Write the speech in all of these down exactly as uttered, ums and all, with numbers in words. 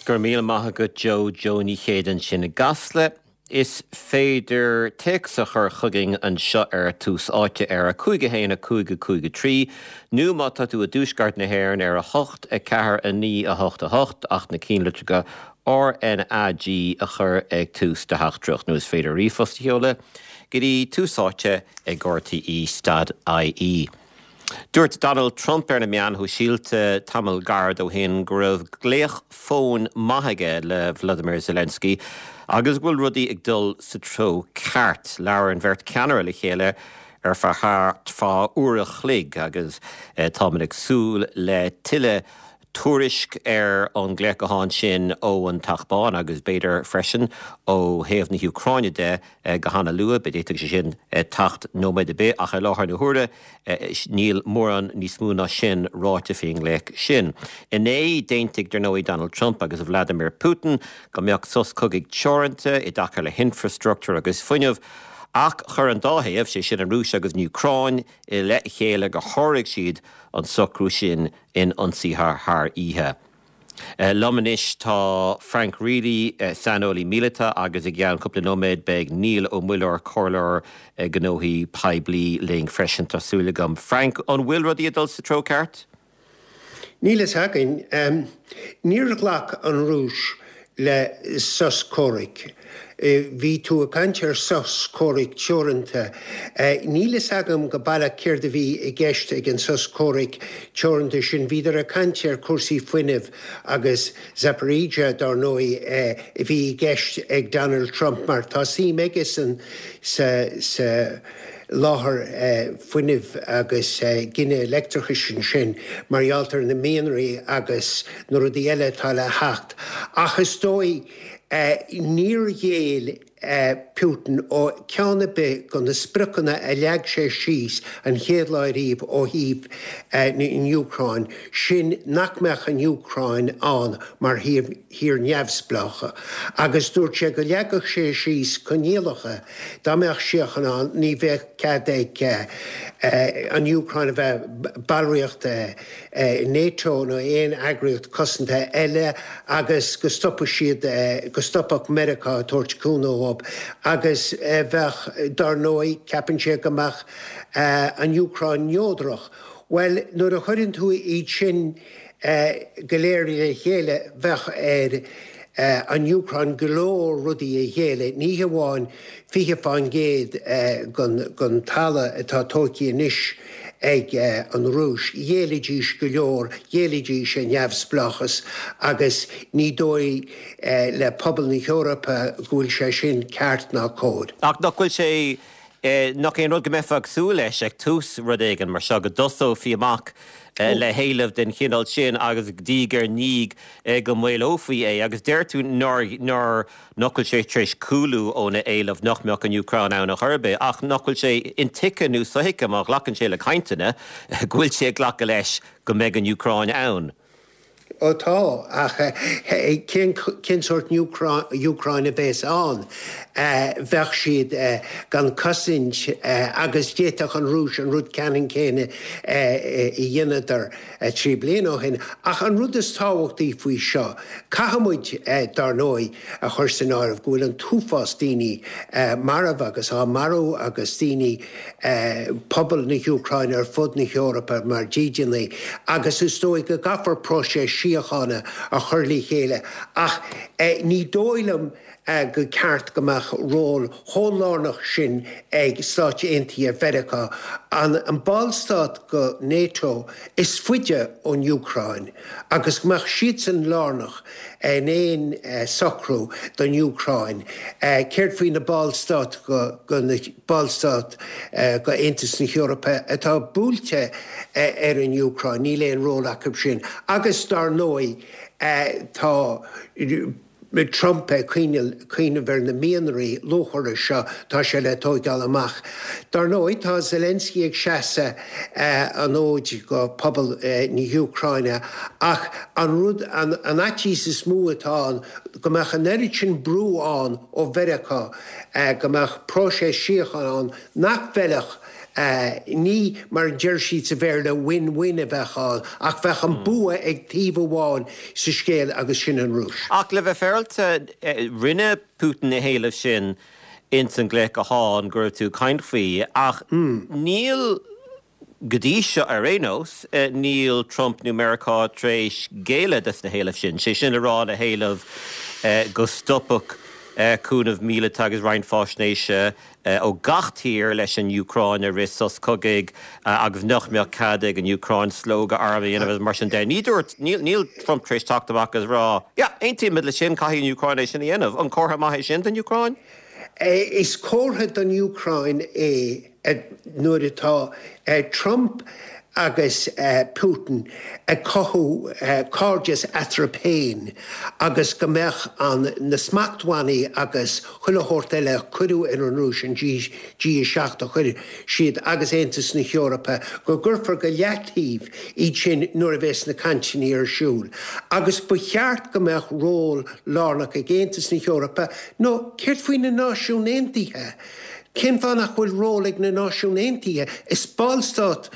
Go raibh míle maith agat Joe Joe Ní Chéide ansin i gCasla. Is féidir téacs a chur chugainn anseo ar Tús Áite ar a cúig a haon a cúig a cúig a trí, nó má tá tú i dtuaisceart na hÉireann ar a hocht a ceathair a naoi a hocht a hocht ach na ceannlitreacha RNAG a chur ag tús do theachtaireacht nó is féidir ríomhphost a sheoladh go dtí tús áite ag RTÉ dot IE. Dúirt Donald Trump ar na meáin shóisialta tamall gairid ó shin go raibh glaoch fóin maith aige le Vladimir Zelensky agus go bhfuil rudaí ag dul sa treo ceart. Labhair an bheirt ceannaire le chéile ar feadh thart fá uair a chloig agus táimid ag súil le tuilleadh tuairisc ar an nglaoch gutháin sin ó an Teach Bán agus b'fhéidir freisin ó thaobh na hÚcráine de go han-luath, b'fhéidir sé sin teacht nóiméad ar bith ach i láthair na huaire níl mórán níos mó ná sin ráite faoin nglaoch sin. Inné d'aontaigh dar ndóigh Donald Trump agus Vladimir Putin go mbeadh sos cogaidh teoranta i dtaca le hinfrastruchtúr agus fuinneamh, ach chuir an dá thaobh, sé sin an Rúis agus an Úcráin, i leith a chéile gur sháraigh siad an socrú sin in ionsaithe thar oíche. Liom anois tá Frank Reilly, saineolaí míleata agus i gceann cúpla nóiméad beidh Niall Ó Muilleoir, comhairleoir gnóthaí poiblí linn freisin tá súil agam. Frank, an bhfuil rudaí ag dul sa treo ceart? Níl fhios againn. Níor ghlac an Rúis le sos comhraic. Bhí tú ag caint ar sos comhraic teoranta. Níl fhios agam go baileach céard a bhí i gceist ag an sos comhraic teoranta sin. Bhíodar ag caint ar cúrsaí fuinnimh agus Zaporizhia dar ndóigh a bhí i gceist ag Donald Trump mar tá suim aige san sa sa láthair fuinnimh agus gineadh leictreachais ansin mar gheall ar na mianraí agus na rudaí eile atá le theacht. Ach is dóigh níor ghéill Putin ó cheann ar bith de na spriocanna a leag sé síos an chéad lá riamh ó thaobh an Úcráin, sin nach mbeadh an Úcráin ann mar thír neamhspleách. Agus dúirt sé go leagfadh sé síos coinníollacha dá mbeadh síocháin ann, ní bheadh cead ag an Úcráin a bheith ballraíocht NATO nó aon eagraíocht cosanta eile agus go stopfadh siad go stopfadh Meiriceá ag tabhairt cúnamh dóibh agus bheadh dar ndóigh ceapann sé go mbeadh an Úcráin neodrach. Well nuair a chuireann tú iad sin go léir le chéile bheadh ar an Úcráin go leor rudaí a ghéilleadh, ní hamháin fiche faoin gcéad den talamh atá tógtha anois ag an Rúis. Ghéillfidís go leor, ghéillfidís a neamhspleáchas agus ní dóigh le pobal na hEorpa go bhfuil sé sin ceart ná cóir. Ach nach bhfuil sé nach é an rud go mbeifeá ag súil leis ag tús rud éigin mar seo go dtosófaí amach le héileamh den chineál sin agus diaidh ar ndiaidh go maolófaí é agus deir tú nár nár nach bhfuil sé tar éis cúlú óna éileamh nach mbeadh an Úcráin ann ar chor ar bith ach nach bhfuil sé intuigthe nó sothuigthe má ghlacann sé le cainteanna go bhfuil sé ag glacadh leis go mbeidh an Úcráin ann. Ó tá ach cén cén sórt Úcráin a bheas ann bheadh siad gan cosaint agus d'fhéadfadh an Rúis an rud ceannann céanna a dhéanadar trí bliana ó shin. Ach an rud is tábhachtaí faoi seo, caithfimid dar ndóigh a chur san áireamh go bhfuil an t-uafás daoine marbh agus á marú agus daoine pobal na hÚcráine ar fud na hEorpa mar dídeanaithe agus is dóigh go gcaithfear próiseas síochána a chur le chéile ach ní dóigh liom go ceart go mbeadh ról chomh lárnach sin ag Stáit Aontaithe Mheiriceá an an ballstát go NATO is faide ón Úcráin agus go mbeadh siadsan lárnach in aon socrú don Úcráin. Céard faoi na ballstáit go go na ballstáit go Aontas na hEorpa atá buailte ar an Úcráin, níl aon ról acu sin. Agus dar ndóigh tá Trump ag cuimhneamh ar na mianraí luachmhara seo tá sé le tógáil amach. Dar ndóigh tá Zelensky ag seasamh an fhóid go pobal na hÚcráine ach an rud an fhaitíos is mó atá ann go mbeadh an oiread sin brú ann ó Mheiriceá go mbeadh próiseas síochána ann nach bhfeilfeadh Ní mar a deir siad sa Bhéarla win-win a bheadh ann, ach bheadh an bua ag taobh amháin sa scéal agus sin an Rúis. Ach le bheith féaráilte, rinne Putin na héilimh sin ins an gcluiche gutháin go raibh tú ag caint faoi, ach níl go dtí seo ar aon nós, níl Trump nó Meiriceá tar éis géilleadh dos na héilimh sin, sé sin le rá na héilimh go stopfadh cúnamh míleata agus roinnt faisnéise ó gach tír leis an Úcráin i rith sos cogaidh agus nach mbeadh cead ag an Úcráin slógadh arm a dhéanamh agus mar sin de. Ní dúirt, níl Trump tar éis teacht amach agus rá, yeah, aontaímid leis sin, caithfidh an Úcráin é sin a dhéanamh. An comhartha maith é sin don Úcráin? Is comhartha don Úcráin é nuair atá Trump agus Putin ag cothú cairdeas eatarthu féin agus go mbeadh an na smachtbhannaí agus chuile shórt eile a cuireadh ar an Rúis, an G a seacht a chuir siad agus Aontas na hEorpa, go gcuirfear go leataobh iad sin nuair a bheas na cainteanna ar siúl. Agus ba cheart go mbeadh ról lárnach ag Aontas na hEorpa, nó céard faoi na Náisiúin Aontaithe? Cén fáth nach bhfuil ról ag na Náisiúin Aontaithe? Is ballstát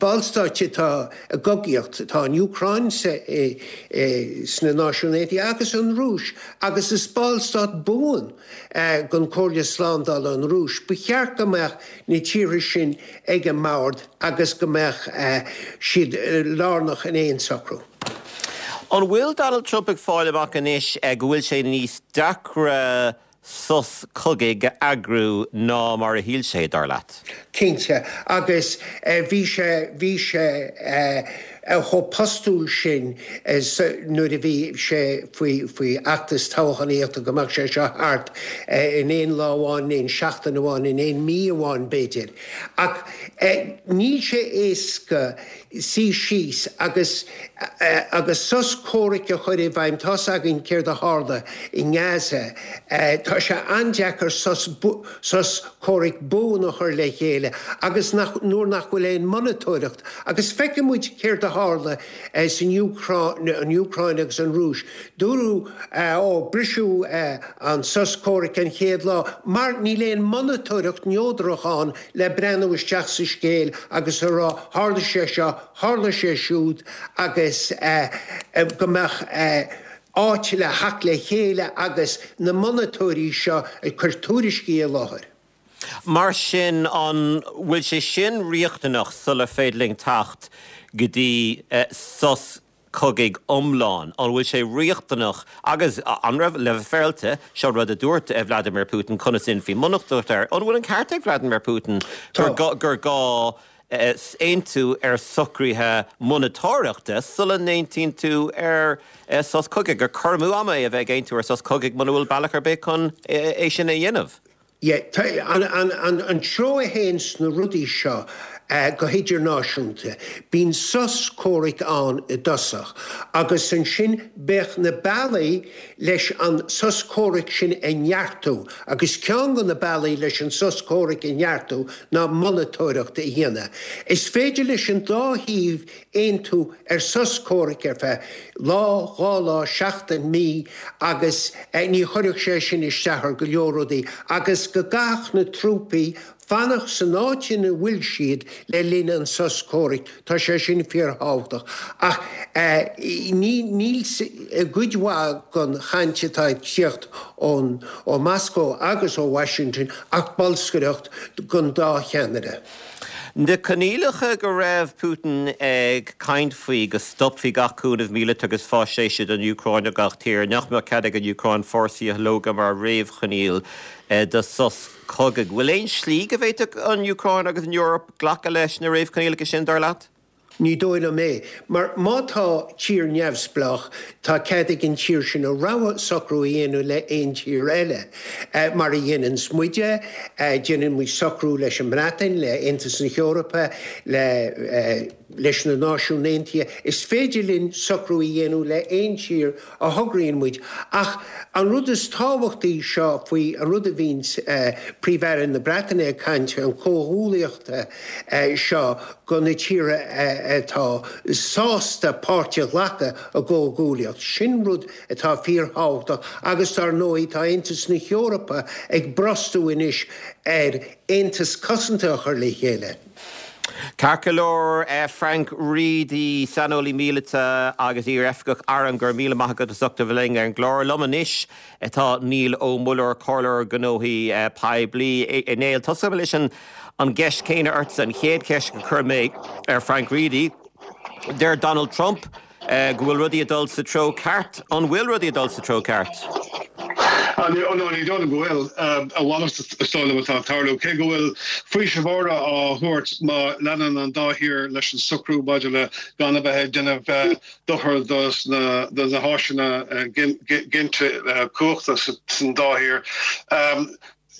ballstáit atá i gcogaíocht, tá an Úcráin sna Náisiúin Aontaithe agus an Rúis, agus is ballstát buan den Chomhairle Slándála an Rúis. Ba cheart go mbeadh na tíortha sin ag an mbord agus go mbeadh siad lárnach in aon socrú. An bhfuil Donald Trump ag fáil amach anois go bhfuil sé níos deacra sos cogaidh a eagrú ná mar a shíl sé, dar leat? Cinnte, agus bhí sé, bhí sé chomh postúil sin nuair a bhí sé faoi, faoi fheachtas toghchánaíochta go mbeadh sé seo thart in aon lá amháin, in aon seachtain amháin, in aon mí amháin b'fhéidir. Ach níl sé éasca suí síos agus agus sos comhraic a chur i bhfeidhm. Tá's againn céard a tharla i nGaza. Tá sé an-deacair sos sos comhraic buan a chur le chéile agus nach nuair nach bhfuil aon monatóireacht. Agus feiceann muid céard a tharla san Úcráin, an Úcráin agus an Rúis. Dúradh ó briseadh an sos comhraic an chéad lá mar níl aon monatóireacht neodrach ann le breathnú isteach sa scéal agus a rá tharla sé seo, tharla sé siúd agus go mbeadh áit le theacht le chéile agus na monatóirí seo ag cur tuairiscí i láthair. Mar sin, an bhfuil sé sin riachtanach sula féidir linn teacht go dtí sos cogaidh iomlán? An bhfuil sé riachtanach agus an raibh, le bheith féaráilte, seo rud a dúirt Vladimir Putin, conas a dhéanfaí monatóireacht air, an bhfuil an ceart ag Vladimir Putin gur gur gá aontú ar socruithe monatóireachta sula n-aontaíonn tú ar sos cogaidh, gur cur amú ama é a bheith ag aontú ar sos cogaidh muna bhfuil bealach ar bith chun é sin a dhéanamh? Yeah, an, an, an, an treo a théann sna rudaí seo go hidirnáisiúnta, bíonn sos comhraic ann i dtosach agus ansin bheadh na bealaí leis an sos comhraic sin a neartú agus ceann de na bealaí leis an sos comhraic a neartú ná monatóireacht a dhéanamh. Is féidir leis an dá thaobh aontú ar sos comhraic ar feadh lá, dhá lá, seachtain, mí agus ní chuirfeadh sé sin isteach ar go leor rudaí agus go gcaithfeadh na trúpaí fanacht san áit ina bhfuil siad le linn an sos comhraic. Tá sé sin fíorthábhachtach. Ach ní níl i gcuid mhaith den chaint atá ag tíocht ón ó Moscow agus ó Washington ach bolscaireacht don dá cheannaire. Na coinníollacha go raibh Putin ag caint faoi go stopfaí gach cúnamh míleata agus faisnéise don Úcráin ó gach tír, nach mbeadh cead ag an Úcráin fórsaí a shlógadh mar réamhchoinníoll do sos cogaidh. Bhfuil aon slí go bhféadfadh an Úcráin agus an Eoraip glacadh leis na réamhchoinníollacha sin, dar leat? Ní dóigh liom é, mar má tá tír neamhspleách, tá cead ag an tír sin a rogha socrú a dhéanamh le aon tír eile. Mar a dhéananns muide, déanann muid socrú leis an mBreatain, le Aontas na hEorpa, le leis na Náisiúin Aontaithe. Is féidir linn socrú a dhéanamh le aon tír a thograíonn muid. Ach an rud is tábhachtaí seo faoi an rud a bhíonns Príomh-Aire na Breataine ag caint, an comhghuaillíocht seo go na tíortha atá sásta páirt a ghlacadh i gcomhghuaillíocht. Sin rud atá fíorthábhachtach agus dar ndóigh tá Aontas na hEorpa ag brostú anois ar aontas cosanta a chur le chéile. Ceart go leor eh, Frank Reidy saineolaí míleata agus iar-oifigeach airm go raibh míle maith agat as ucht a bheith linn ar an gclár liom anois atá Niall Ó Muilleoir comhairleoir gnóthaí eh, poiblí a Néill Tosóidh leis an an gceist céanna ortsa an chéad cheist a chuir mé ar Frank Reidy. Deir Donald Trump uh, go bhfuil rudaí ag dul sa treo ceart an bhfuil rudaí ag dul sa treo ceart. No ní dóigh go bhfuil a mhalairt is dóigh liom atá ag tarlú cé go bhfuil faoiseamh á thabhairt má leanann an dá thír leis an socrú maidir le gan a bheith ag déanamh dochar dos na na háiseanna ginte cumhachta san dá thír.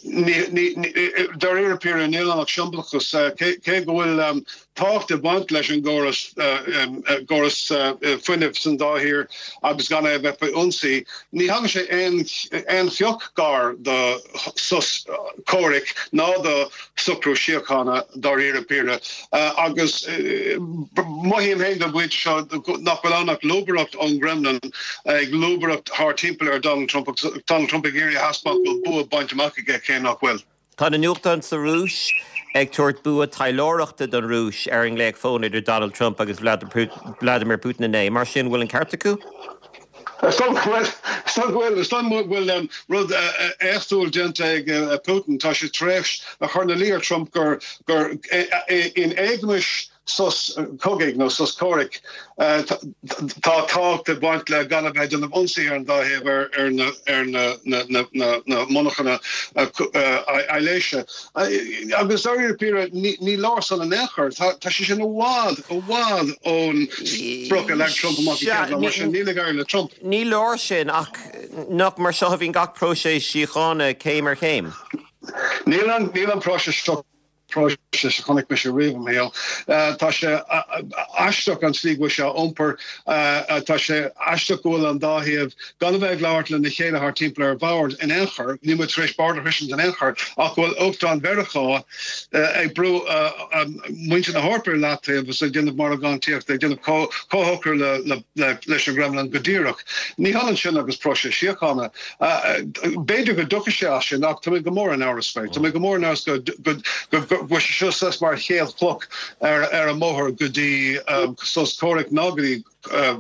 Dáiríre píre níl ann ach siombalachas cé go bhfuil tábhacht ag baint leis an gcóras gcóras fuinnimh san dá thír agus gan é bheith faoi ionsaí. Ní thagann sé aon aon phioc gar do sos comhraic ná do socrú síochána dáiríre píre agus mothaím féin go bhfuil seo nach bhfuil ann ach lúbaireacht ón Kremlin ag lúbaireacht thar timpeall ar Donald Trump Donald Trump ag iarraidh a thaispeáint go bhfuil bua bainte amach aige cé nach bhfuil. Tá na nuachtáin sa Rúis ag tabhairt bua taidhleoireachta don Rúis ar an nglaoch fóin idir Donald Trump agus Vladimir Putin inné, mar sin bhfuil an ceart acu? bhfuil bhfuil rud éachtúil déanta ag Putin tá sé tar éis a chur ina luí ar Trump gur gur in éagmais sos cogaidh nó sos comhraic tá tábhacht ag baint le gan a bheith ag déanamh ionsaí ar an dá thaobh ar ar na ar na na na na na monarchana aibhléise. Agus dáiríre píre ní leor san in aon chor tá sé sin i bhfad i bhfad ón sprioc a leag Trump amach mar sin níl ag éirí le Trump. Ní leor sin ach nach mar seo a bhíonn gach próiseas síochána céim ar chéim. Níl an níl an próiseas seo próiseas a chonaic mise riamh i mo shaol. Tá sé aisteach an tslí go bhfuil sé á iompar, tá sé aisteach go bhfuil an dá thaobh gan a bheith ag labhairt lena chéile thar timpeall ar bhord in aon chor, níl muid tar éis bord a shroisint in aon chor, ach go bhfuil Uachtarán Mheiriceá ag brú muintir na hEorpa ar leataobh agus ag déanamh margántaíochta, ag déanamh comhshocrú leis an gCremlin go díreach. Ní hionann sin agus próiseas síochána. B'fhéidir go dtiocfaidh sé as sin ach tá mé go mór in amhras faoi. Tá mé go mór in amhras go go bhfuil sé seo saghas mar chéad chloch ar ar an mbóthar go dtí sos comhraic ná go dtí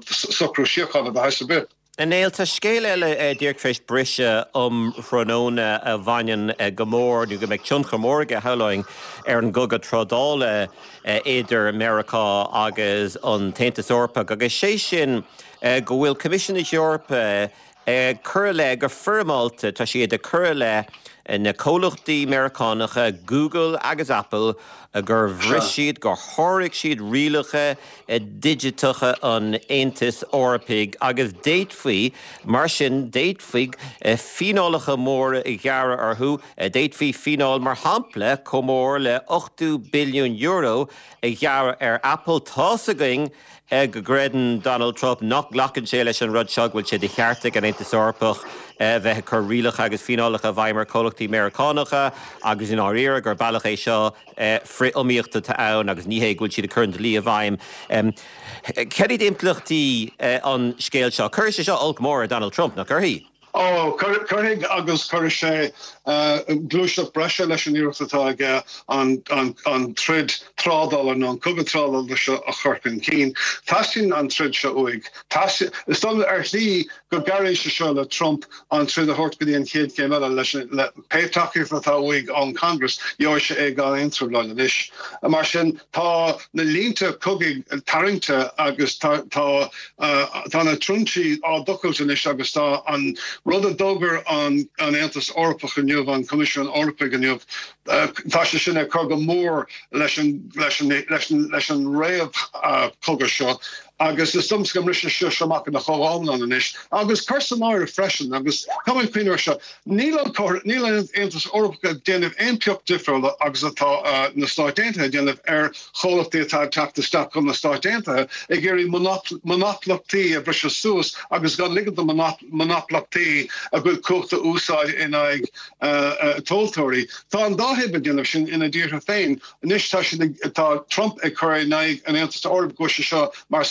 socrú síochána de shaghas ar bith. A Néill tá scéal eile díreach tar éis briseadh um thráthnóna a bhaineann go mór nó go mbeidh tionchar mór aige shamhlóinn ar an gcogadh trádála idir Meiriceá agus an tAontas Eorpach agus sé sin go bhfuil Coimisiún na hEorpa ag cur i leith go foirmeálta tá siad ag cur i leith na comhlachtaí Meiriceánacha Google agus Apple gur bhris siad gur sháraigh siad rialacha digiteacha an Aontais Eorpaigh agus d'fhéadfaí mar sin d'fhéadfaí fíneálacha móra a ghearradh orthu d'fhéadfaí fíneáil mar shampla chomh mór le ochtó billiún euro a ghearradh ar Apple Tá's againn go gcreideann Donald Trump nach nglacann sé leis an rud seo go bhfuil sé de cheart ag an Aontas Eorpach bheith ag cur rialacha agus fíneálacha i bhfeidhm ar chomhlachtaí Meiriceánacha agus i ndáiríre gur bealach é seo frith-iomaíochta atá ann agus ní hé go bhfuil siad ag cur an dlí i bhfeidhm. Cad iad impleachtaí an scéil seo? Cuirfidh sé seo olc mór ar Donald Trump, nach gcuirfidh? Ó, cuirfidh agus cuirfidh sé gluaiseacht breise leis an iarracht atá aige an troid trádála nó an cogadh trádála seo a chur chun cinn. Teastaíonn an troid seo uaidh. Is dóigh ar shlí go gcabhraíonn sé seo le Trump an troid a thabhairt go dtí an chéad chéim eile leis le pé tacaíocht atá uaidh ón Congress, gheobhaidh sé é gan aon trioblóid anois. Mar sin tá na línte cogaidh tarraingte agus tá tá Tá na trinsí á dtochailt anois agus tá an rud a d'fhógair an Aontas Eorpach inniu, an Coimisiún Eorpaigh inniu, tá sé sin ag cur go mór leis an réamhchogadh seo Agus is dócha go mbrisfidh sé seo amach ina chomhiomlán anois. Agus cuir san áireamh freisin, agus tá mé ag cuimhneamh air seo, níl an níl an Aontas Eorpach ag déanamh aon pioc difriúla agus atá na Stáit Aontaithe ag déanamh ar chomhlachtaí atá ag teacht isteach chun na Stáit Aontaithe, ag iarraidh monaplachtaí a bhriseadh suas agus gan ligean do monaplachtaí a gcuid cumhachta a úsáid in aghaidh tomhaltóirí. Tá an dá thaobh ag déanamh sin ina dtíortha féin. Anois tá siad ag, tá Trump ag cur in aghaidh an Aontais Eorpaigh go bhfuil sé seo mar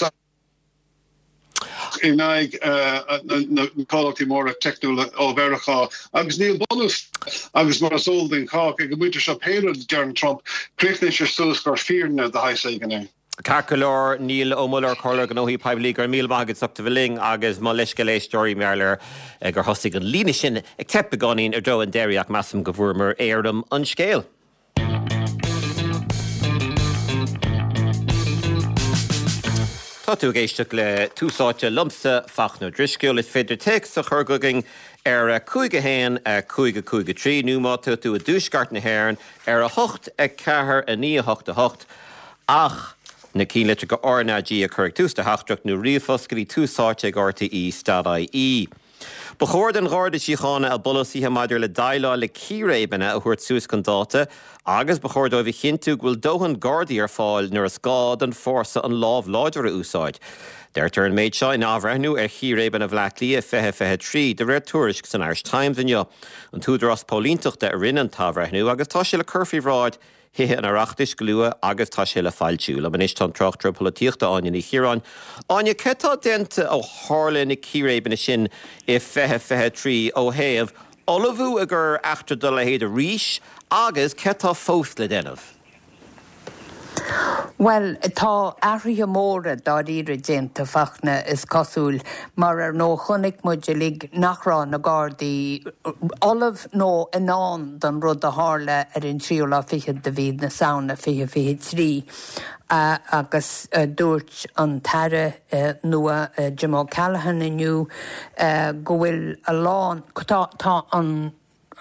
in aghaidh na comhlachtaí móra teicniúla ó Mheiriceá agus níl bunús agus mar is eol don chách ag an bpointe seo pé rud a deireann Trump, críochnaíonn sé suas gur fírinne de shaghas éigin é. Ceart go leor, Niall Ó Muilleoir, Comhairleoir Gnóthaí Poiblí, go raibh míle maith agat as ucht a bheith linn agus mo leithscéal éisteoirí mar gheall ar gur thosaigh an líne sin ag teip beagáinín i dtreo an deiridh ach measaim go bhfuaireamar éirim an scéil. Tá tú ag éisteacht le Tús Áite liomsa, Fachtna Ó Drisceoil. Is féidir téacs a chur chugainn ar a cúig a haon a cúig a cúig a trí nó má tá tú i dtuaisceart na hÉireann ar a hocht a ceathair a naoi a hocht a hocht ach na cinnlitreacha RnaG a chur ag tús do theachtaireacht nó ríomhphost go dtí túsáite ag rte dot ie. Ba chóir don Gharda Síochána a bpolasaithe maidir le déileáil le círéibeanna a thabhairt suas chun dáta agus ba chóir dóibh a chinntiú go bhfuil dóthain Gardaí ar fáil nuair is gá don fórsa an lámh láidir a úsáid. Deirtear an méid seo in athbhreithniú ar chíréibeanna Bhaile Átha Cliath fiche fiche trí, de réir tuairisc san Irish Times inniu. An tÚdarás Póilínteachta a rinne an t-athbhreithniú agus tá sé le cur faoi bhráid Thithe an Oireachtais go luath agus tá sé le foilsiú. Liom anois tá an tráchtaire polaitíochta Áine Ní Chiaráin. Áine, céard atá déanta ó tharla na círéibeanna sin i fiche fiche trí ó thaobh ullmhú i gcomhair eachtra dá leithéid arís agus céard atá fós le déanamh? Bhuel, tá athruithe móra dáiríre déanta, Fachtna, is cosúil, mar ar ndóigh chonaic muid uilig nach raibh na Gardaí ullamh nó in ann don rud a tharla ar an tríú lá fichead de mhí na Samhna fiche fiche trí agus dúirt an tAire nua Jim O'Callaghan inniu go bhfuil a lán, tá, tá an.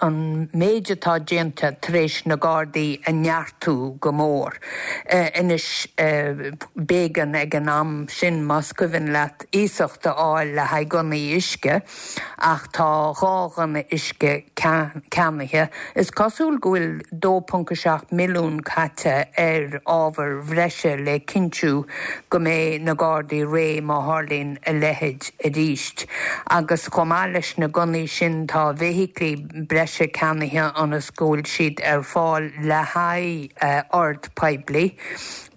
an méid atá déanta tar éis na Gardaí a neartú go mór. Anois, b'éigean ag an am sin, más cuimhin leat, iasacht a fháil le haghaidh gunnaí uisce, ach tá dhá ghunna uisce ceannaithe. Is cosúil go bhfuil dó ponc a seacht milliún caite ar ábhair bhreise le cinntiú go mbeidh na Gardaí réidh má tharlaíonn a leithéid arís. Agus chomh maith leis na gunnaí sin tá feithiclí breise ceannaithe ionas go bhfuil siad ar fáil le haghaidh ord poiblí.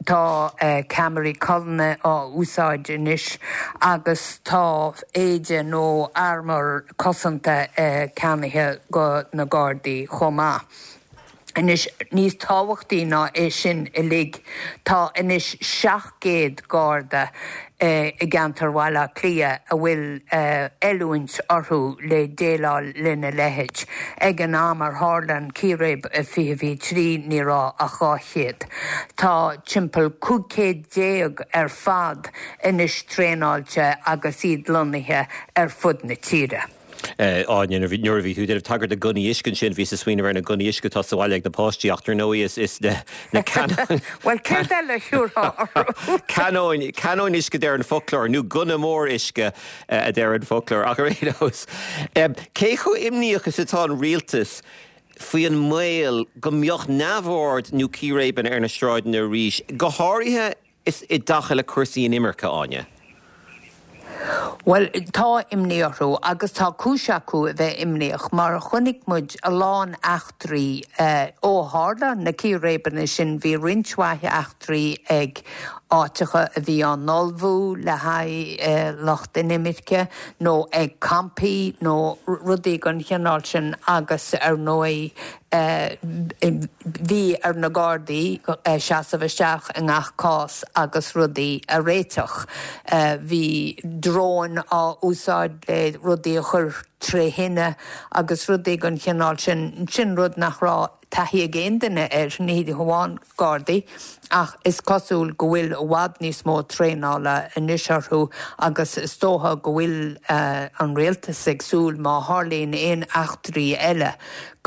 Tá ceamaraí colainne á úsáid anois agus tá éide nó armúr cosanta ceannaithe do na Gardaí chomh maith. Anois, níos tábhachtaí ná é sin uilig, tá anois seacht gcéad Garda i gceantar Bhaile Átha Cliath a bhfuil oiliúint orthu le déileáil lena leithéid. Ag an am ar tharla an círéib i fiche fiche trí ní raibh ach dhá chéad. Tá timpeall cúig chéad déag ar fad anois traenáilte agus iad lonnaithe ar fud na tíre. Áine, nuair a bhí tú ag déanamh tagairt do gunnaí uisce ansin, bhíos ag smaoineamh ar na gunnaí uisce atá sa bhaile ag na páistí ach dar ndóigh is is na na canóin Bhuel, céard eile a thiúrfá orthu? Canóin, canóin uisce a deir an foclóir, nó gunna mór uisce a deir an foclóir. Ach ar aon nós, cé chomh imníoch is atá an rialtas faoi an mbaol go mbeadh neamhord nó círéibeanna ar na sráideanna arís, go háirithe is i dtaca le cúrsaí inimirce, Áine? Bhuel, tá imní orthu agus tá cúis acu a bheith imníoch mar chonaic muid a lán eachtraí ó tharla na círéibeanna sin. Bhí roinnt mhaith eachtraí ag áiteacha a bhí á n-ullmhú le haghaidh lucht inimirce nó ag campaí nó rudaí den chineál sin agus ar ndóigh Bhí ar na Gardaí seasamh isteach i ngach cás agus rudaí a réiteach. Bhí dróin á úsáid le rudaí a chur tré thine agus rudaí den chineál sin. Sin rud nach raibh taithí ag aon duine air, ní hamháin Gardaí, ach is cosúil go bhfuil i bhfad níos mó traenála anois orthu agus is dócha go bhfuil an rialtas ag súil má tharlaíonn aon eachtraí eile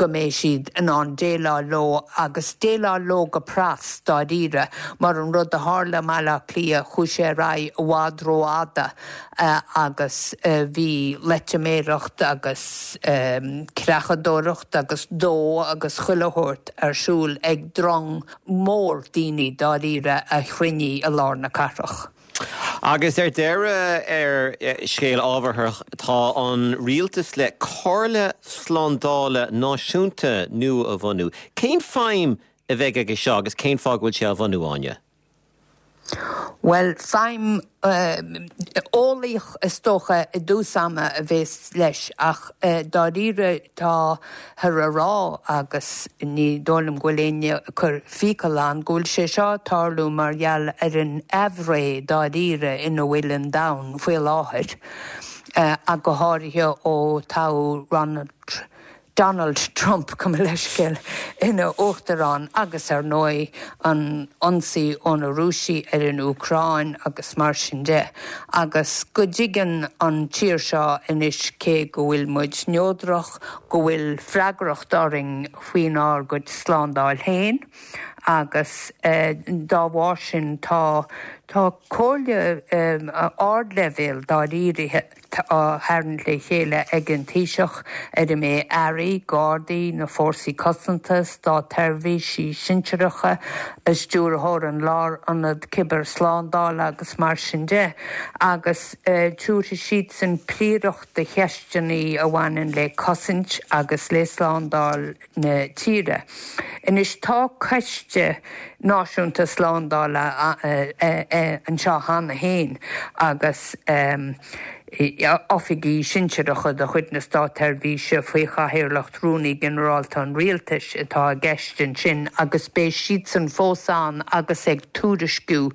go go mbeidh siad in ann déileáil leo agus déileáil leo go pras dáiríre mar an rud a tharla i mBaile Átha Cliath chuaigh sé ar aghaidh i bhfad rófhada agus bhí loitiméireacht agus creachadóireacht agus dó agus chuile shórt ar siúl ag drong mór daoine dáiríre a chruinnigh i lár na cathrach. Agus ar deireadh ar scéal ábharthach tá an rialtas le Comhairle Slándála Náisiúnta nua a bhunú. Cén feidhm a bheidh aige seo agus cén fáth go bhfuil sé á bhunú Áine? Well feidhm eolaíoch is dócha i dtús ama a bheas leis ach dáiríre táthar á rá agus ní dóigh liom go bhfuil éinne ag cur fiacail ann go bhfuil sé seo ag tarlú mar gheall ar an aimhréidh dáiríre ina bhfuil an domhan faoi láthair ach go háirithe ó toghadh Ronald Donald Trump gabh mo leithscéal ina uachtarán agus ar ndóigh an ionsaí ó na Rúisigh ar an Úcráin agus mar sin de. Agus go dtuigeann an tír seo anois cé go bhfuil muid neodrach, go bhfuil freagracht orainn faoinár gcuid slándáil féin agus dá bharr sin tá tá comhairle ardleibhéil dáiríre á tharraingt le chéile ag an Taoiseach ar a mbeidh airí, gardaí, na fórsaí cosanta, státseirbhísigh sinsearacha, stiúrthóir an Lárionad Cibearshlándála agus mar sin de, agus tabharfaidh siadsan príoracht do cheisteanna a bhaineann le cosaint agus le slándáil na tíre. Anois tá Coiste Náisiúnta Slándála anseo cheana féin agus oifigigh sinsearacha de chuid na Státseirbhíse faoi chathaoirleacht Rúnaí Ginearálta an Rialtais atá i gceist ansin agus beidh siadsan fós ann agus ag tuairisciú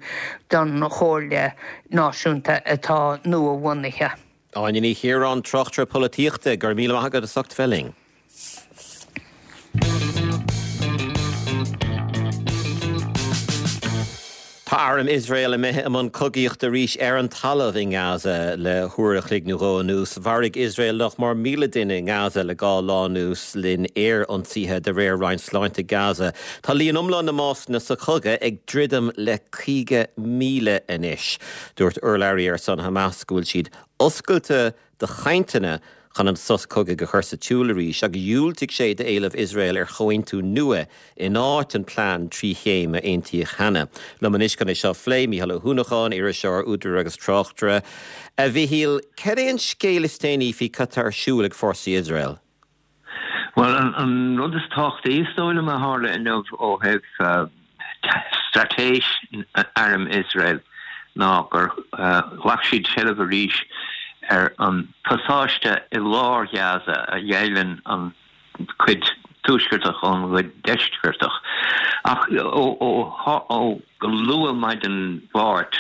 don Chomhairle Náisiúnta atá nua-bhunaithe. Áine Ní Chiaráin, tráchtaire polaitíochta, go raibh míle maith agat as ucht bheith linn. Tá arm Iosrael imithe i mbun cogaíochta arís ar an talamh i nGaza le huair a chloig nó dhó anuas. Mharaigh Iosrael nach mór míle duine i nGaza le dhá lá anuas le linn aerionsaithe de réir Roinn Sláinte Gaza. Tá líon iomlán na mbásanna sa chogadh ag druidim le caoga míle anois. Dúirt urlabhraí ar son Hamas go bhfuil siad oscailte do chainteanna chun an sos cogaidh a chur sa tsiúl arís agus dhiúltaigh sé d'éileamh Iosrael ar chomhaontú nua in áit an plean trí chéim a aontaíodh cheana. Liom anois chun é seo a phlé, Mícheál Ó hUanacháin, iriseoir, údar agus tráchtaire. A Mhichíl, cad é an scéal is déanaí faoi cad tá ar siúl ag fórsaí Iosrael? Bhuel, an rud is tábhachtaí is dóigh liom a tharla inniu ó thaobh straitéis arm Iosrael ná gur ghlac siad seilbh arís ar an pasáiste i lár Ghaza a dheighleann an cuid tuaisceartach ón gcuid deisceartach. Ach ó go luath maidin Mháirt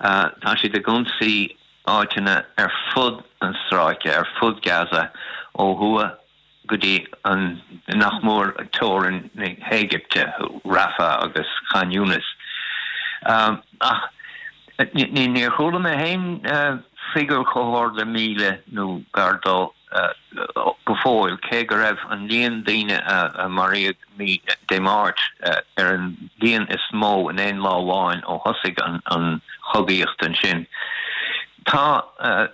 tá siad ag ionsaí áiteanna ar fud an stráice, ar fud Gaza, ó thuaidh go dtí an nach mór teorainn na hÉigipte, Rafah agus Khan Younis. Ach níor chuala mé féin figiúr chomh hard le míle nó gar dó go fóill, cé go raibh an líon daoine a maraíodh Dé Máirt ar an líon is mó in aon lá amháin ó thosaigh an chogaíocht ansin. Tá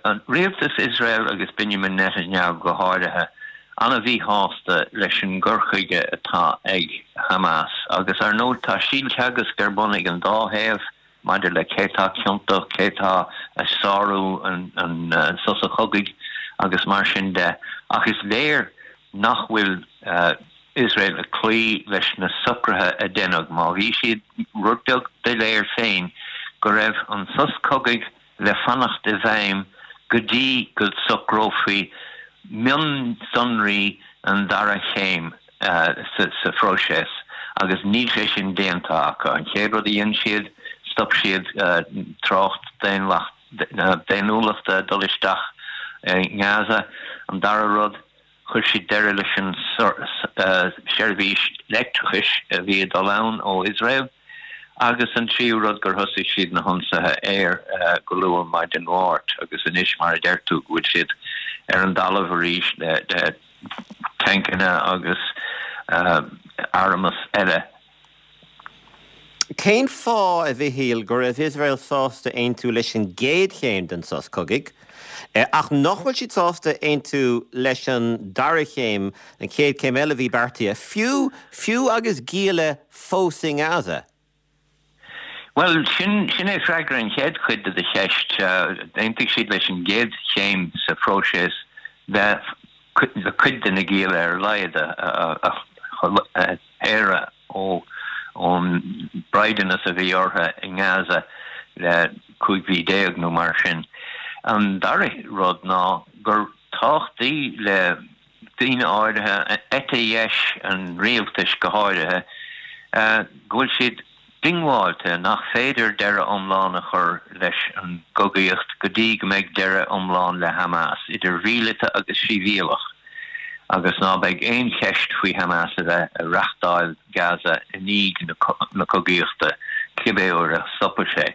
an rialtas Iosrael agus Benjamin Netanyahu go háirithe an-mhíshásta leis an gcur chuige atá ag Hamas agus ar ndóigh tá síolteagasc ar bun ag an dá thaobh maidir le cé tá ciontach, cé tá ag sárú an sosa chogaidh agus mar sin de. Ach is léir nach bhfuil Iosrael ag cloí leis na socruithe a deineadh. Má bhí siad rud beag doiléir féin go raibh an sos cogaidh le fanacht i bhfeidhm go dtí go socrófaí mionsonraí an dara chéim sa phróiseas agus níl sé sin déanta acu. An chéad rud a dhein siad, stop siad trácht daonnúlachta dul isteach i nGaza. An dara rud, chuir siad deireadh leis an seirbhís leictreachais a bhí ag dul ann ó Iosrael agus an tríú rud gur thosaigh siad na hionsaithe aeir go luath maidin Mháirt agus anois mar a deir tú go bhfuil siad ar an dtalamh arís le tancanna agus armas eile. Cén fáth, a Mhichíl, go raibh Iosrael sásta aontú leis an gcéad chéim den sos cogaidh, ach nach bhfuil siad sásta aontú leis an dara chéim, an chéad chéim eile a bhí beartaithe, fiú fiú agus gialla fós i nGaza? Bhuel, sin sin é freagra an chéad chuid de do cheist. D'aontaigh siad leis an gcéad chéim sa phróiseas le cuid de na gialla ar a laghad a shaoradh ó ón braighdeanas a bhí orthu i nGaza le cúig mhí déag nó mar sin. An dara rud ná gur tábhachtaí le daoine áirithe, eite dheis an rialtais go háirithe, go bhfuil siad diongbháilte nach féidir deireadh iomlán a chur leis an gcogaíocht go dtí go mbeidh deireadh iomlán le Hamas, idir mhíleata agus shibhialach, agus ná beidh aon cheist faoi Hamas a bheith ag reáchtáil Gaza i ndiaidh na cogaíochta, cibé uair a stopfaidh sé.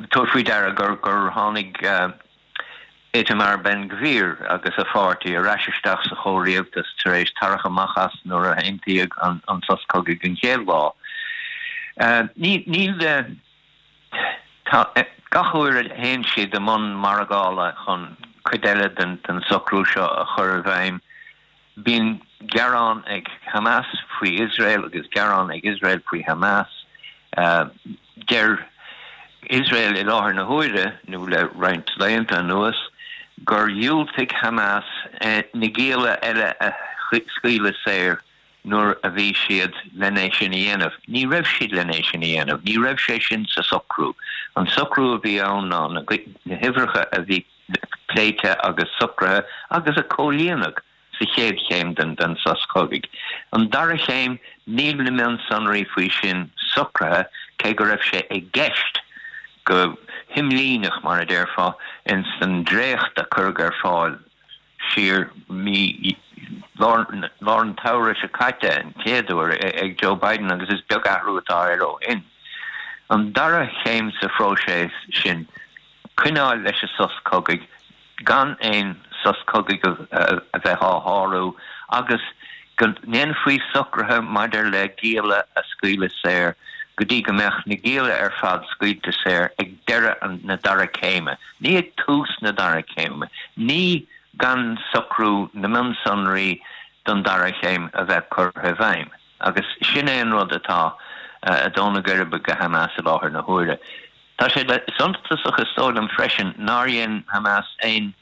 Tabhair faoi deara gur tháinig. Itamar Ben-Gvir agus a pháirtí ar ais isteach sa chomhrialtas tar éis tarrac amach as nuair a aontaíodh an sos cogaidh an chéad lá. Níl tá gach uair a théann siad i mbun margála chun cuid eile den socrú seo a chur i bhfeidhm, Bíonn gearán ag Hamas faoi Iosrael agus gearán ag Iosrael faoi Hamas. Deir Iosrael i láthair na huaire, nó le roinnt laethanta anuas, gur dhiúltaigh Hamas na gialla eile a scaoileadh saor nuair a bhí siad len é sin a dhéanamh. Ní raibh siad len é sin a dhéanamh. Ní raibh sé sin sa socrú. An socrú a bhí ann ná na huimhreacha a bhí pléite agus socraithe agus a comhlíonadh sa chéad chéim den sos cogaidh. An dara chéim, níl na mionsonraí faoi sin socraithe, cé go raibh sé i gceist go himlíneach, mar a déarfá, ins an dréacht a cuireadh ar fáil siar mí lár an tsamhraidh seo caite an chéad uair ag Joe Biden agus is beag athrú atá air ó shin. An dara chéim sa phróiseas sin, coinneáil leis an sos cogaidh, gan aon sos cogaidh a bheith á shárú agus go ndéanfaí socruithe maidir le gialla a scaoileadh saor go dtí go mbeadh na gialla ar fad scaoilte saor ag deireadh na dara céime, ní ag tús na dara céime, ní gan socrú na mionsonraí don dara chéim a bheith curtha i bhfeidhm. Agus sin é an rud atá ag dó na geirbe do Hamas i láthair na huaire. Tá sé suntasach is dóigh liom freisin nár dhein Hamas aon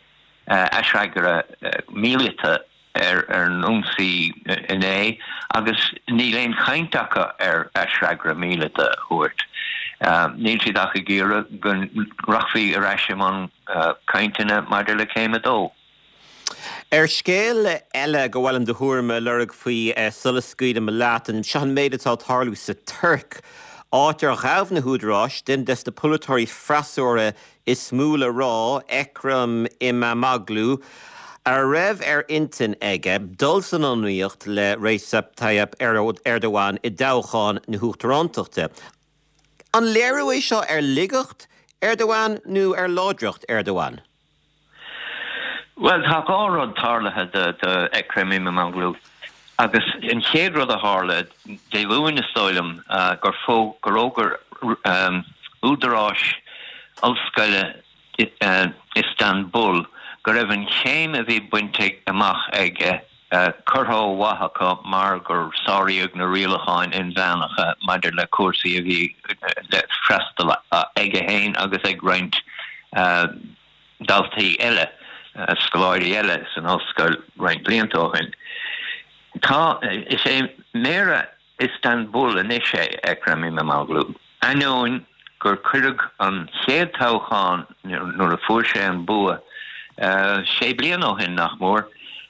aisfhreagra míleata ar an ionsaí inné agus níl aon chaint acu ar aisfhreagra míleata a thabhairt. Níl siad ach ag iarraidh go rachfaí ar ais i mbun cainteanna maidir le céim a dó. Ar scéal eile gur mhaith liom do thuairim a lorg faoi sula scaoilim leat, seo an méid atá ag tarlú sa Tuirc, áit ar ghabh na húdaráis duine des na polaiteoirí freasúra is mó le rá, Ekrem Imamoglu, a raibh ar intinn aige dul san iomaíocht le Recep Tayyip Erdogan i dtoghchán na huachtarántachta. An léiriú é seo ar laigeacht Erdogan nó ar láidreacht Erdogan? Bhuel, tá dhá rud tarlaithe do Ekrem Imamoglu. Agus an chéad rud a tharla, Dé Luain is dóigh liom, gur fhógair údaráis ollscoile Iostanbul go raibh an chéim a bhí bainte amach aige curtha ó mhaith acu mar gur sáraíodh na rialacháin inmheánacha maidir le cúrsaí a bhí le freastal aige féin agus ag roinnt daltaí eile, scoláirí eile san ollscoil roinnt blianta ó shin. Tá, is é Méara Istanbul anois é Ekrem Imamoglu. Ainneoin gur cuireadh an chéad toghchán nuair a fuair sé an bua sé bliana ó shin, nach mór,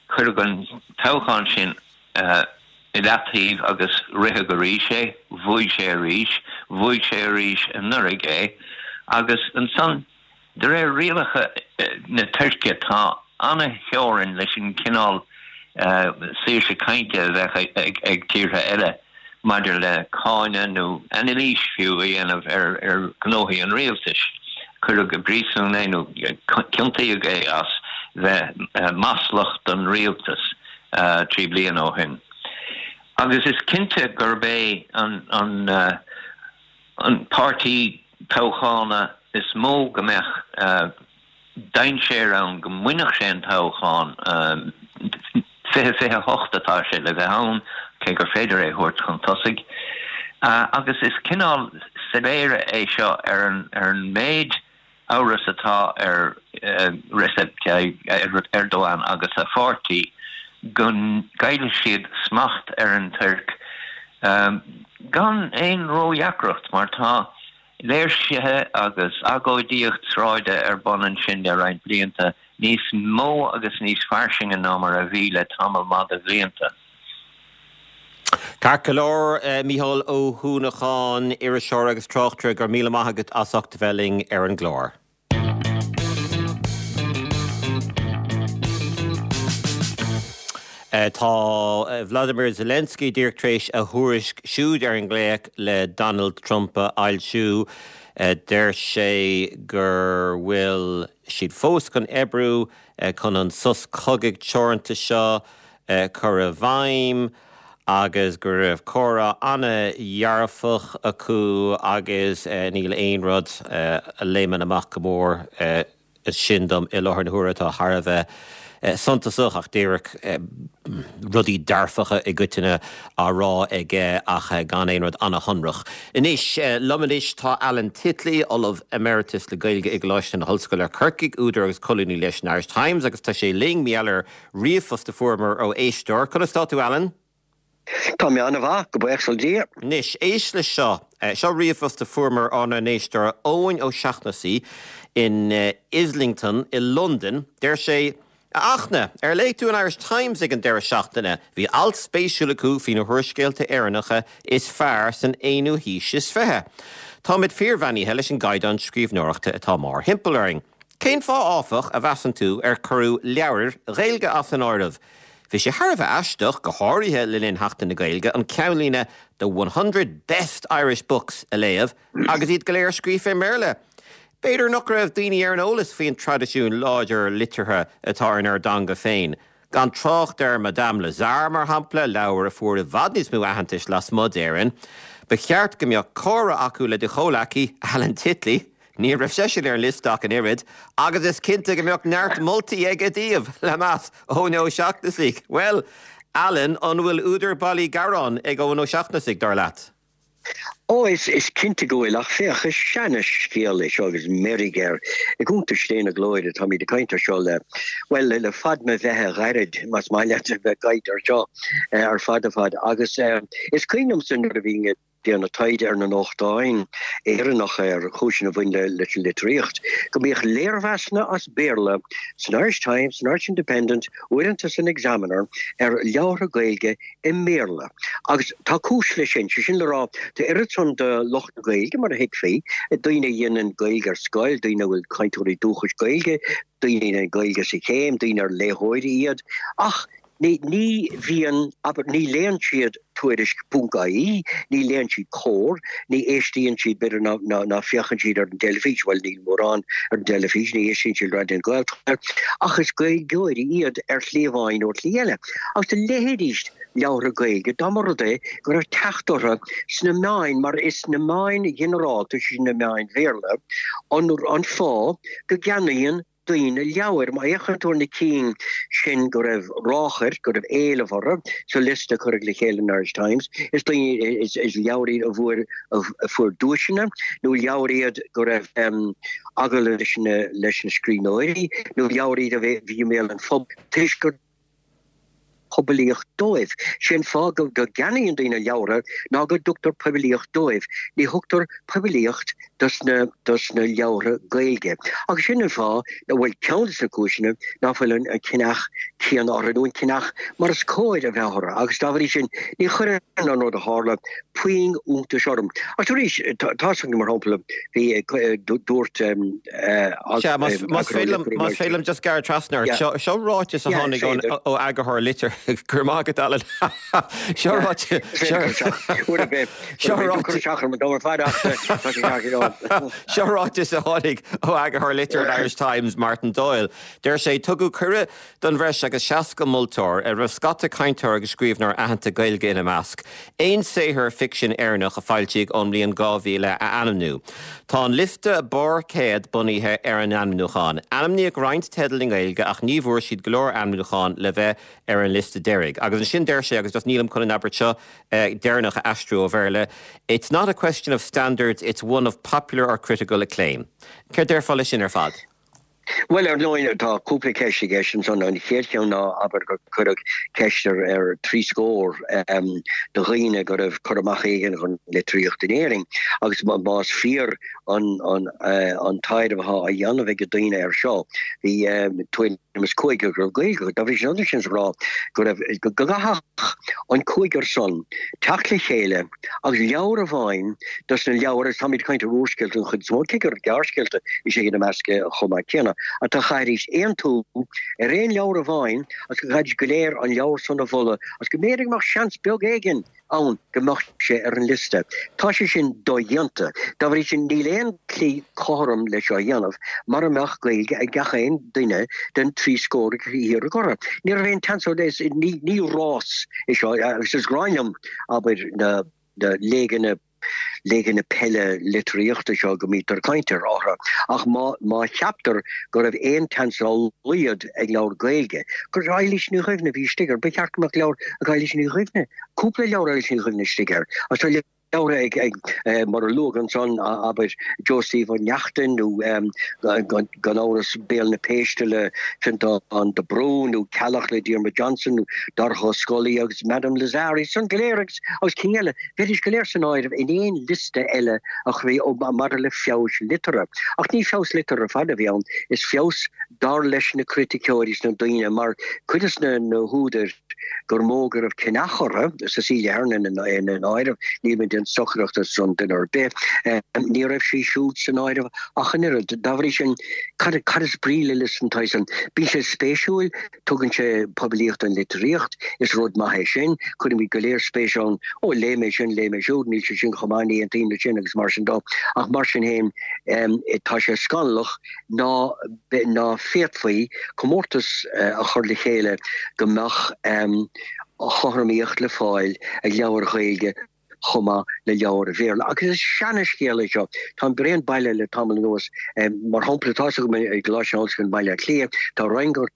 cuireadh an toghchán sin i leataobh agus ritheadh arís é, bhuaigh sé arís, bhuaigh sé arís anuraidh é agus ansan, De réir rialacha na Tuirce, tá an-theorainn leis an gcineál saoirse cainte a bheadh ag tíortha eile maidir le cáineadh nó anailís fiú a dhéanamh ar ghnóthaí an rialtais. Cuireadh i bpríosún é nó ciontaíodh é as bheith maslach don rialtas trí bliana ó shin. Agus is cinnte gurb é an an an páirtí toghchána is mó go mbeadh dainséar ann go mbainfeadh sé an toghchán fiche fiche hocht atá sé le bheith ann, cé gur féidir é thabhairt chun tosaigh. Agus is cineál soiléire é seo ar an ar an méid amhras atá ar Recep Tayyip Erdogan agus a pháirtí go gcaillfidh siad smacht ar an Tuirc gan aon ródheacracht mar tá léirsithe agus agóidíocht sráide ar bun ansin le roinnt blianta, níos mó agus níos fairsinge ná mar a bhí le tamall maith de bhlianta. Ceart go leor, Mícheál Ó hUanacháin, iriseoir agus tráchtaire, go raibh míle maith agat as ucht a bheith linn ar an gclár. Tá Vladimir Zelensky díreach tar éis a thuairisc siúd ar an nglaoch le Donald Trump a fhoilsiú. Deir sé gur bhfuil siad fós chun oibriú chun an sos cogaidh teoranta seo a chur i bhfeidhm agus go raibh comhrá an-dhearfach acu agus níl aon rud a léimeann amach go mór sin dom i láthair na huaire atá thar a bheith suntasach ach díreach rudaí dearfacha i gcoitinne á rá aige ach gan aon rud an-shonrach. Anois, liom anois tá Alan Titley, Ollamh Emeritus le Gaeilge i gColáiste na hOllscoile Corcaigh, údar agus colúnaí leis an Irish Times agus tá sé linn mar gheall ar ríomhphost a fuaireamar ó éisteoir. Conas tá tú Alan? Tá mé an-mhaith, go buíochas le Dia. Anois, éist leis seo. Seo ríomhphost a fuaireamar ónár n-éisteoir Eoin Ó Seachnasaigh in Islington i Londain. Deir sé, A Fhachtna, ar léigh tú an Irish Times ag an deireadh seachtaine? Bhí alt spéisiúil acu faoi na húrscéalta Éireannacha is fearr san aonú haois is fiche. Táimid fíorbheannaithe leis an gcaighdeán scríbhneoireachta atá mórthimpeall orainn. Cén fáth áfach, a mheasann tú, ar cuireadh leabhair Ghaeilge as an áireamh? Bhí sé thar a bheith aisteach, go háirithe le linn Sheachtain na Gaeilge, an ceannlíne 'The one hundred Best Irish Books' a léamh agus iad go léir scríofa i mBéarla. B'fhéidir nach raibh daoine ar an eolas faoin traidisiún láidir liteartha atá inár dteanga féin, gan trácht ar Madame Lazare, mar shampla, leabhar a fuair i bhfad níos mó aitheantais lasmuigh d'Éirinn. Ba cheart go mbeadh comhrá acu le do chomhleacaí, Alan Titley, ní raibh seisean ar an liosta ach an oiread, agus is cinnte go mbeadh neart moltaí aige daoibh, le meas, Eoin Ó Seachnasaigh. Bhuel, Alan, an bhfuil údar bailí gearáin ag Eoin Ó Seachnasaigh, dar leat? Ó, is is cinnte go bhfuil, ach féach, is seana-scéal é seo agus meirg air. I gcuntais Dé na Glóire, táimid ag caint air seo le, bhuel, le fad mo bheatha ghairid, más maith leat a bheith ag caint air seo ar fad a fad. Agus is cuimhin liomsa nuair a bhínn ag déanamh taighde ar na nuachtáin Éireannacha ar chúiseanna a bhain leis an litríocht, go mbíodh léirmheasanna as Béarla san Irish Times, san Irish Independent, uaireanta san Examiner, ar leabhartha Gaeilge i mBéarla. Agus tá cúis leis sin, sé sin le rá, tá oiread san de lucht na Gaeilge, mar a thuigfí, daoine a dhéanann Gaeilge ar scoil, daoine a bhfuil cainteoirí dúchais Gaeilge, daoine a dhéanann Gaeilge sa chéim, daoine ar léitheoirí iad, ach ní ní bhíonn, abair, ní léann siad Tuairisc ponc ie, ní léann siad Comhar, ní éistíonn siad, b'fhéidir, ná ná ná féachann siad ar an dteilifís, bhuel níl mórán ar an dteilifís, ní éistíonn siad le Raidió na Gaeltachta, ach is Gaeilgeoirí iad ar shlí amháin nó ar shlí eile. Agus do léifidís leabhartha Gaeilge dá mba rud é go raibh teacht orthu sna meáin, mar is sna meáin ghinearálta, sé sin na meáin Bhéarla, an an fáth go gceannaíonn daoine leabhair. Má fhéachann tú ar na cinn sin go raibh ráchairt, go raibh éileamh orthu sa liosta a cuireadh le chéile in Irish Times, is daoine, is leabhair iad a bhfuair, a fuair duaiseanna, nó leabhair iad go raibh agallaimh leis na, leis na scríbhneoirí, nó leabhair iad a bhí i mbéal an phobail toisc gur poiblíocht dóibh. Sé an fáth go gceannaíonn daoine leabhartha ná go dtugtar poiblíocht dóibh. Ní thugtar poiblíocht dos na dos na leabhartha Gaeilge. Agus sin an fáth, bhuel ceann de na cúiseanna, ná fuil an ceannach céanna orthu nó an ceannach mar is cóir a bheith orthu agus dá bhrí sin ní chuireann an rud a tharla puinn iontais orm. Ach arís tá mar shampla bhí dúirt Más féidir liom just gearradh trasna seo ráiteas a tháinig ó eagarthóir litir gur má go seo Seo ráiteas a tháinig ó eagarthóir litir an Irish Times Martin Doyle. Deir sé tugadh cuireadh don bhreis agus seasca moltóir ar raibh scata cainteoir agus scríbhneoir aitheanta Gaeilge ina measc. Aon saothar ficsin Éireannach a foilsíodh ón mbliain dhá mhíle a ainmniú. Tá an liosta barr céad bunaithe ar an ainmniúchán. Ainmníodh roinnt teidil i nGaeilge ach ní bhfuair siad go leor ainmniúchán le bheith ar an liosta deiridh. Agus ansin deir sé agus just nílim chun an abairt seo eh, deireanach a aistriú ó Bhéarla, It's not a question of standards, it's one of popular or critical acclaim. Céard déarfá leis sin ar fad? Bhuel ar ndóigh tá cúpla ceist i gceist ansan an chéad cheann ná abair gur cuireadh ceist ar ar trí scór um, de dhaoine go raibh cur amach éigin ar an litríocht in Éirinn agus más fíor an an uh, an taighde atá á dhéanamh ag daoine ar seo bhí um, tuairim is cúigear go raibh Gaeilge dá bhrí sin sin rá go raibh go gcaithfeadh an cúigear san teacht le chéile agus leabhar amháin dos na leabhair is táimid ag caint ar úrscéalta an chuid is mó cé gur gearrscéalta is ea ina measc chomh maith céanna a chaithfidís aontú ar aon leabhar amháin agus go gcaithfidís go léir an leabhar san a mholadh agus go mb'fhéidir go mbeadh seans beag éigin ann go mbeadh sé ar an liosta. Tá sé sin dodhéanta. Dá bhrí sin níl aon tslí cothrom le seo a dhéanamh mura mbeadh Gaeilge ag gach aon duine den trí scór a iarradh orthu. Ní raibh aon tseans ní ní rás é seo agus is gráin liom abair na na léigeanna léigeanna peile litríochta seo go mbítear ag caint orthu ach má má cheaptar go raibh aon tseans dá laghad ag leabhar Gaeilge gur Eilís Ní Dhuibhne a bhí istigh air ba cheart go mbeadh leabhar ag Eilís Ní Dhuibhne cúpla leabhar Eilís Ní Dhuibhne istigh air agus tá leabhar ag ag eh, mar a luadh ansan abair Joe Steve Ó Neachtain nó gan amhras Béal na Péiste le Fionntán de Brún nó Ceallach le Diarmuid Johnson nó Donncha Ó Scolaí agus Madame Lazare san go léir agus agus cinn eile bheidís go léir san áireamh in aon liosta eile a chuirfí maidir le feabhas liteartha. Ach ní feabhas liteartha ar fad a bhí ann, is feabhas dar leis na criticeoirí is na daoine mar cuid des na na húdair gur mó go raibh ceannach orthu, Cecelia Hernon ina áireamh, níl mé ag déanamh stocaireachta ar son duine ar bith, ní raibh sí siúd san áireamh ach an oiread. Dá bhrí sin, cad cad is brí le liosta den tsaghas san? Bíonn sé spéisiúil, tugann sé poiblíocht don litríocht, is rud maith é sin, cuirimid go léir spéis ann, ó léigh mé sin, léigh mé siúd, níl sé sin chomh maith, ní aontaím leis sin agus mar sin dó. Ach mar sin féin, tá sé scannalach ná ná féadfaí comórtas a chur le chéile go mbeadh cothromaíocht le fáil ag leabhair Ghaeilge chomh maith le leabhair Bhéarla. Agus is seana-scéal é seo. Táim bréan baile le tamall anuas. Mar shampla, tá's agam i gColáiste na hOllscoile i mBaile Átha Cliath, tá roinn go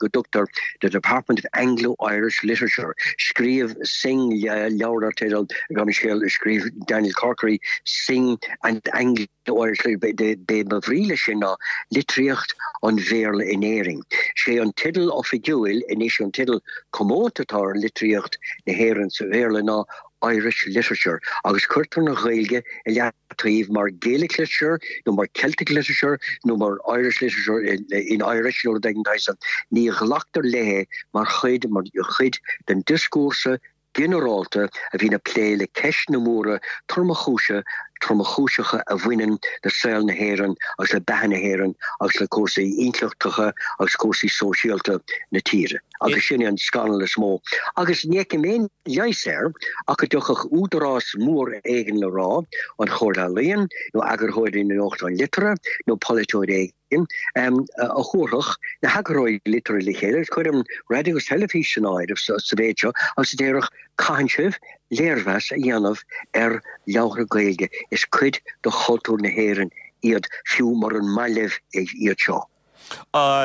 dtugtar The Department of Anglo-Irish Literature. Scríobh Synge leabhar dar teideal, gabh mo leithscéal, scríobh Daniel Corkery Synge and Anglo-Irish Literature. B'é ba bhrí leis sin ná litríocht an Bhéarla in Éirinn. Sé an teideal oifigiúil anois, an teideal comónta atá ar litríocht na hÉireann sa Bhéarla ná Irish Literature agus cuirtear an Ghaeilge i leataobh mar Gaelic Literature nó mar Celtic Literature nó mar Irish Literature in Irish nó rud éigin den tsaghas san. Ní ghlactar léi mar chuid mar chuid den dioscúrsa ginearálta a bhíonn ag plé le ceisteanna móra tromchúise tromchúiseacha a bhaineann le saol na hÉireann agus le beatha na hÉireann agus le cúrsaí intleachtacha agus cúrsaí sóisialta na tíre. Agus sin é an scannal is mó. Agus ní fheicim aon leigheas air ach go dtiocfadh údarás mór éigin le rá, an Chomhairle Ealaíon nó eagarthóirí na nuachtán liteartha nó polaiteoir éigin, a thabharfadh na heagarthóirí liteartha le chéile, agus cuirim raidió agus teilifís san áireamh sa mhéid seo, agus a déarfadh, caitheann sibh léirmheas a dhéanamh ar leabhartha Gaeilge, is cuid de chultúr na hÉireann iad, fiú muran maith libh iad seo.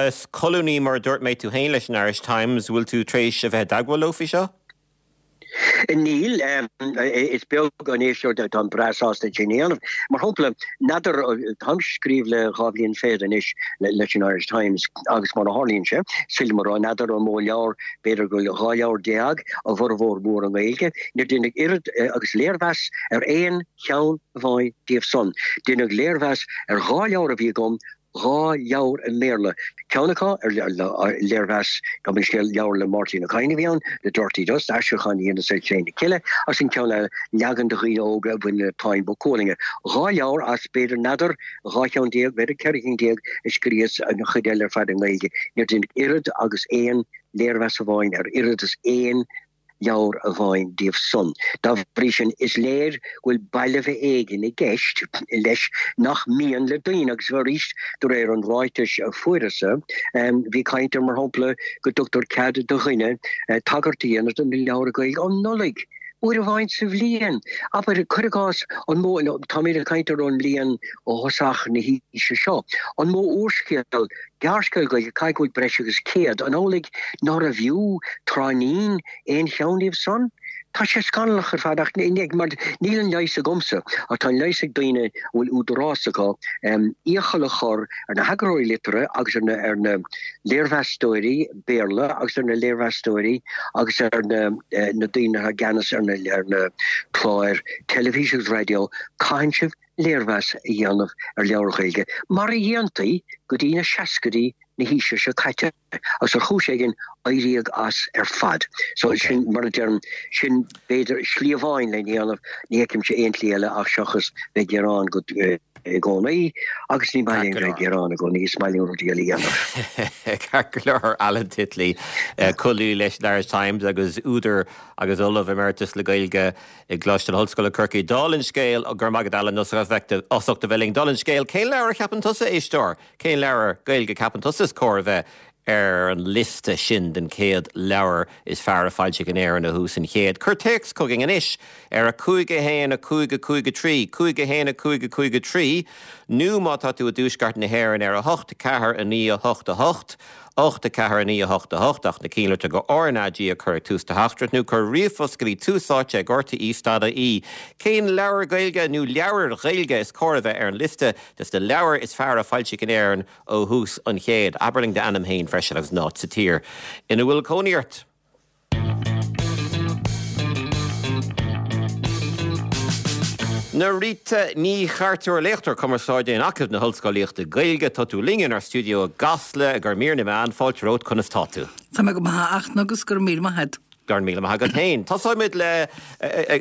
Is colúnaí, mar a dúirt mé, tú féin leis an Irish Times, bhfuil tú tar éis a bheith i dteagmháil leo faoi seo? Níl. Is beag an éisteoir táim breá sásta é sin a dhéanamh. Mar shampla, n'fheadar, táim ag scríobh le dhá bhliain fichead anois leis an Irish Times agus mar a tharlaíonn sé, is féidir liom a rá, n'fheadar an mó leabhar, b'fhéidir go bhfuil dhá leabhar déag, a bhformhór mór i nGaeilge. Níor deineadh oiread agus léirmheas ar aon cheann amháin díobh san. Deineadh léirmheas ar dhá leabhar a bhí agam, dhá leabhar i mBéarla, ceann acu ar léirmheas gabh mo leithscéal leabhar le Máirtín Ó Cadhain a bhí ann, The Dirty Dust, aistriúchán a dheineas ar Chré na Cille, agus an ceann eile, leagan do dhaoine óga a bhain le Táin Bó Cuailnge. Dhá leabhar as b'fhéidir n'fheadar dhá cheann déag, b'fhéidir ceithre chinn déag a scríos, an chuid eile ar fad i nGaeilge. Níor deineadh oiread agus aon léirmheas amháin ar oiread is aon leabhar amháin díobh san. Dá bhrí sin, is léir go bhfuil balbh éigin i gceist leis nach mian le daoine, agus arís, de réir an ráitis a fuaireas-sa, bhí caint ar, mar shampla, go dtugtar cead do dhuine tagairt a dhéanamh do na leabhair Ghaeilge um Nollaig, uair amháin sa bhliain. Abair, cuir i gcás, an mó, táimid ag caint ar an mbliain ó thosach na haoise seo, an mó úrscéal, gearrscéal Gaeilge, caithfidh go bhfuil breis agus céad, an amhlaidh nárbh fhiú tráithnín aon cheann díobh san? Tá sé scannalach ar fad ach mar níl an leigheas agamsa ach tá an leigheas ag daoine a bhfuil údarás acu iachall a chur ar na heagarthóirí liteartha agus ar na ar na léirmheastóirí Béarla agus ar na léirmheastóirí agus ar na na daoine atá i gceannas ar na ar na cláir teilifíse agus raidió, caitheann sibh léirmheas a dhéanamh ar leabhair Ghaeilge mar a dhéantaí go dtí na seascaidí na haoise seo caite agus ar chúis éigin éiríodh as ar fad. So sin, mar a deirim, sin b'fhéidir slí amháin lena dhéanamh, ní fheicimse aon tslí eile ach seachas bheith ag gearán go i gcónaí agus ní maith linn bheith ag gearán i gcónaí, is maith linn rudaí eile a dhéanamh. Ceart go leor, Alan Titley, colúnaí leis an Irish Times agus údar agus Ollamh Emeritus le Gaeilge i gColáiste na hOllscoile Corcaigh. Dála an scéil, go raibh maith agat Alan as ucht a bheith linn. Dála an scéil, cén leabhar a cheapann tusa, éisteoir? Cén leabhar Gaeilge a cheapann tusa is cóir a bheith ar an liosta sin den chéad leabhar is fearr a foilsíodh in Éirinn ó thús an chéid? Cuir téacs chugainn anois ar a cúig a haon a cúig a cúig a trí, cúig a haon a cúig a cúig a trí, nó má tá tú i dtuaisceart na hÉireann ar a hocht ceathair a naoi a hocht a hocht, ocht a ceathair a naoi a hocht a hocht, ach na cinnlitreacha R N A G a chur ag tús do theachtaireacht nó cuir ríomhphost go dtí tús áite ag R T E stad I E. Cén leabhar Gaeilge nó leabhair Ghaeilge is cóir a bheith ar an liosta des na leabhair is fearr a foilsíodh in Éirinn ó thús an chéid? Abair linn d'ainm féin freisin agus an áit sa tír ina bhfuil cónaí ort. Norita Ní Chartúir, léachtóir cumarsáide in Acadamh na hOllscolaíochta Gaeilge, tá tú linn inár stiúideo i gCasla ag ár mír na meán. Fáilte romhat, conas tá tú? Tá mé go maith a Fhachtna agus go raibh míle maith agat. Go raibh míle maith agat féin. Tosóimid le,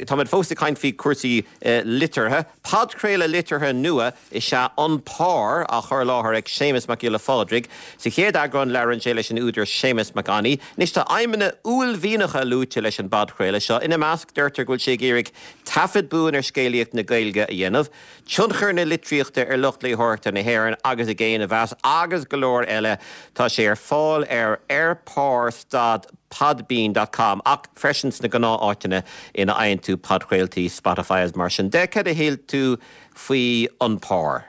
táimid fós ag caint faoi chúrsaí liteartha. Podchraoladh liteartha nua is ea An Pár, á chur i láthair ag Séamus Mac Giolla Phádraig. Sa chéad eagrán labhrann sé leis an údar Séamus Mac Annaidh. Anois tá aidhmeanna uaillmhianacha luaite leis an bpodchraoladh seo. Ina measc, deirtear go bhfuil sé ag iarraidh taifead buan ar scéalaíocht na Gaeilge a dhéanamh, tionchar na litríochta ar lucht léitheoireachta na hÉireann agus i gcéin a mheas, agus go leor eile. Tá sé ar fáil ar ar pár stad podbean dot com ach freisin sna gnáth-áiteanna ina fhaigheann tú podchraoltaí, Spotify agus mar sin de. Cad a shíl tú faoi An Pár?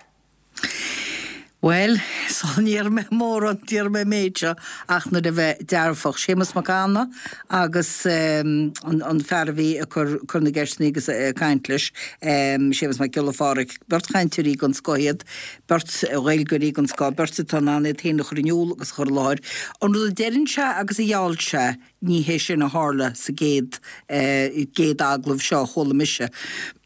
Bhuel, sula ndéarfaidh mé mórán, déarfaidh mé an méid seo ach nuair a bheith dearfach. Séamus Mac Annaidh agus an fear a bhí ag cur cur na gceisteanna agus ag caint leis, Séamus Mac Giolla Phádraig, beirt chainteoirí den scoth iad, beirt Ghaeilgeoirí den scoth, beirt atá in ann iad féin a chur in iúl agus a chur i láthair. An rud a deireann sé agus a gheall sé, ní hé sin a tharla sa gcéad gcéad agallamh seo a chuala mise.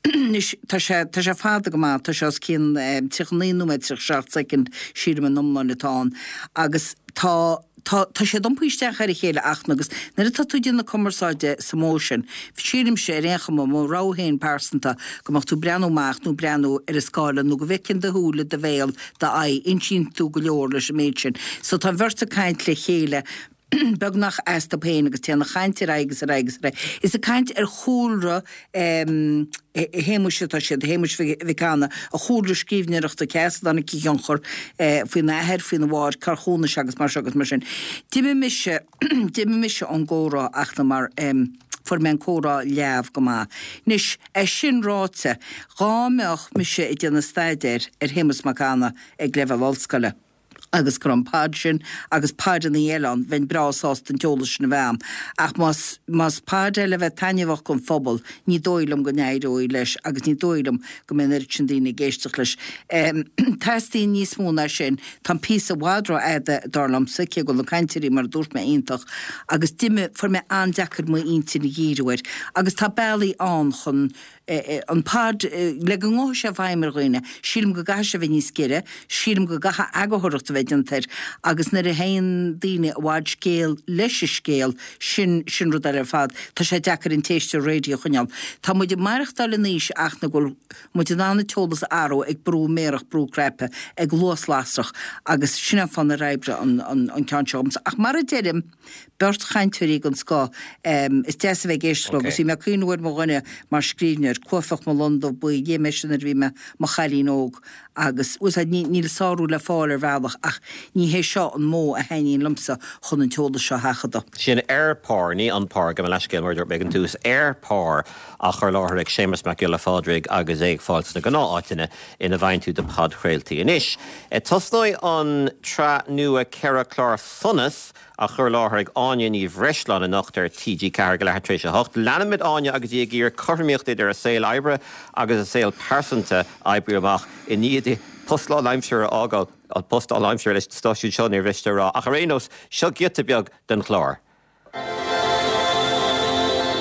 Anois, tá sé, tá sé fada go maith, tá sé os cionn tríocha naoi nóiméad tríocha seacht soicind, sílim an iomláine atá ann, agus tá, tá, tá siad iompaithe isteach ar a chéile ach, agus nuair atá tú ag déanamh cumarsáide sa modh sin, sílimse ar aon chuma, mo rogha féin pearsanta, go mbeadh tú ag breathnú amach nó breathnú ar an scáileán nó go bhfeiceann do shúile, do bhéal, d'aghaidh, insíonn tú go leor leis an méid sin. So tá an bheirt ag caint le chéile beagnach astu féin agus téann an chaint ar aghaidh agus ar aghaidh agus ar aghaidh. Is ag caint ar chúlra Shéamuis atá siad, Shéamuis Mhic Annaidh, a chúlra scríbhneoireachta, cé as a dtáinig a thionchar, faoina athair, faoina mháthair, cár chónaigh sé agus mar seo agus mar sin. D'imigh mise, d'imigh mise ón gcomhrá ach na mar fuair mé an comhrá leamh go maith. Anois, é sin ráite, dhá mbeadh mise ag déanamh staidéir ar Shéamus Mac Annaidh ag leibhéal ollscoile, agus go raibh an pod sin agus podanna eile ann, bheinn breá sásta an t-eolas sin a bheith a'm. Ach más, más pod é le bheith taitneamhach don phobal, ní dóigh liom go n-éireoidh leis agus ní dóigh liom go mbeidh an oiread sin daoine ag éisteacht leis. Teastaíonn níos mó ná sin. Tá an píosa i bhfad rófhada, dar liomsa, cé go bhfuil na cainteoirí, mar a dúirt mé, iontach, agus d'imigh, fuair mé an-deacair m'intinn a dhíriú air. Agus tá bealaí ann chun an pod le go ngabhfaidh sé i bhfeidhm ar dhaoine, sílim go gcaithfidh sé a bheith níos giorra, sílim go gcaithfidh eagarthóireacht a bheith déanta air agus nuair a théann daoine i bhfad scéal leis an scéal, sin, sin rud eile ar fad. Tá sé deacair an t-éisteoir raidió a choinneáil. Tá muid ag maireachtáil in aois ach na go bhfuil muid in ann an t-eolas a athrú ag brú méarach, brú cnaipe, ag luas lasrach agus sin an fáth nár oibrigh an, an, an ceann seo dhomsa. Ach mar a deirim, beirt chainteoirí den scoth. Is deas a bheith ag éisteacht leo agus bhí mé ag cuimhneamh ar mo dhuine mar scríbhneoir, Cuaifeach mo Lon Dubh Buí, léigh mé sin nuair a bhí mé mo chailín óg agus, bhfuil fhios a'd, níl sárú le fáil ar bhealach ach ní hé seo an modh a thaitníonn liomsa chun an t-eolas seo a sheachadadh. Sin Ar Pár, ní An Pár, gabh mo leithscéal mar a dúirt mé ag an tús, Ar Pár á chur i láthair ag Séamus Mac Giolla Phádraig agus é ag fáil sna gnáth-áiteanna ina bhfaigheann tú do podchraoltaí. Anois, tosnóidh an tsraith nua ceithre chlár Sonas á chur i láthair ag Áine Ní Bhreisleáin anocht ar T G ceathair ag leathuair tar éis a hocht. Leanfaimid Áine agus í ag iarraidh cothromaíocht idir a saol oibre agus a saol pearsanta a oibriú amach i ndiaidh di post lánaimseartha a fhágáil, an post lánaimseartha leis an stáisiún seo, níor mhiste a rá, ach ar aon nós, seo giota beag den chlár.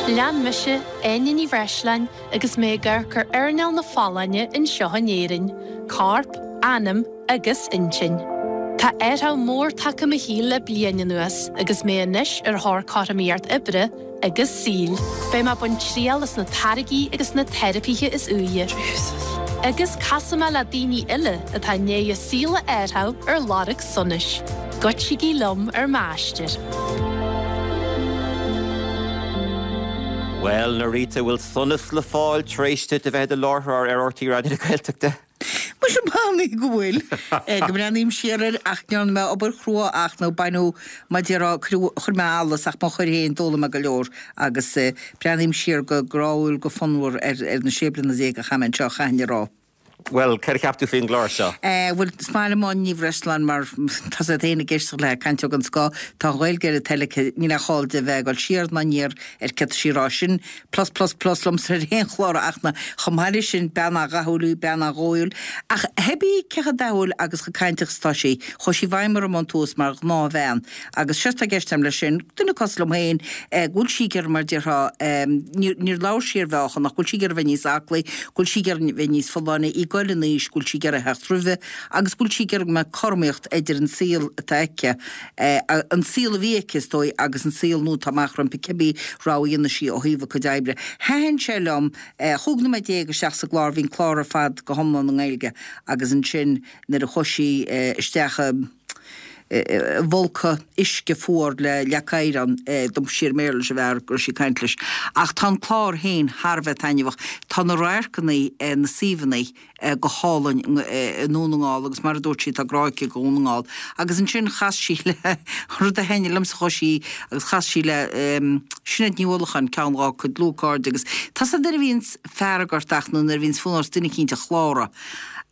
Lean mise, Áine Ní Bhreisleáin, agus mé ag amharc ar earnáil na folláine anseo in Éirinn, corp, anam agus intinn. Tá athrú mór tagtha i mo shaol le bliain anuas agus mé anois ar thóir cothromaíocht oibre agus saoil. Beidh mé ag baint triail as na táirgí agus na teiripithe is úire. Agus casfaidh mé le daoine eile atá i ndiaidh a saol a athrú ar lorg sonais. Goitsigí liom ar m'aistear. Bhuel, Norita, bhfuil sonas le fáil tar éis duit a bheith i do láithreoir ar R T Raidió na Gaeltachta? Muise m'anam go bhfuil. Go mbreathnaím siar air ach ndearna mé obair chrua ach nó baineadh, mar a déarfá, cuireadh, chuir mé allas ach má chuir féin d'fhoghlaim mé go leor agus breathnaím siar go gráúil go fonnmhar ar ar na sé bliana déag a chaith mé anseo, chaithfinn a rá. Bhuel, céard a cheap tú faoin gclár seo? Bhuel, is maith liom Áine Ní Bhreisleáin mar tá a fhios agat féin ag éisteacht léi, cainteoir den scoth, tá an Ghaeilge ar a toil aici, níl aon chall di a bheith ag dul siar ná aniar ar céard tá sí a rá. Sin plus plus plus liomsa ar aon chlár ach na, chomh maith leis sin, bean an-dhathúil í, bean an-dhóighiúil. Ach thébí cé chomh dathúil agus chomh cainteach is atá sí, chuaigh sí i bhfeidhm orm ón tús mar ghnáthbhean. Agus séard atá i gceist agam leis sin, duine cosúil liom féin, go bhfuil sí ag iarraidh mar a déarfá, níor labhair sí ar mheáchan ach go bhfuil sí ag iarraidh bheith níos aclaí, go bhfuil sí ag iarraidh bheith níos folláine, í ag goil in aois, go bhfuil sí ag iarraidh theacht roimhe agus go bhfuil sí ag iarraidh go mbeadh cothromaíocht idir an saol atá aici, an saol a bhí aici is dóigh agus an saol nua atá amach roimpi, cibé rogha a dhéanfaidh sí ó thaobh a cuid oibre. Thaitin sé liom, chúig nóiméad déag isteach sa gclár, bhí an clár ar fad go hiomlán i nGaeilge agus ansin nuair a chuaigh sí isteach i i bhfolcadh uisce fuar le leac oighir ann, d'iompaigh sí ar an mBéarla leis an bhfear go raibh sí ag caint leis. Ach tá an clár féin thar a bheith taitneamhach. Tá na radharcanna, na suíomhanna go hálainn i nDún na nGall agus mar a dúirt sí tá grá aici do Dhún na nGall. Agus ansin chas sí le, rud a thaitnigh liomsa, chuaigh sí agus chas sí le Sinéad Ní Uallacháin, ceann dhá cuid dlúthchairde agus tá 's agat nuair a bhíonns fearg ort ach nó nuair a bhíonns fonn ort duine eicínt a chláradh.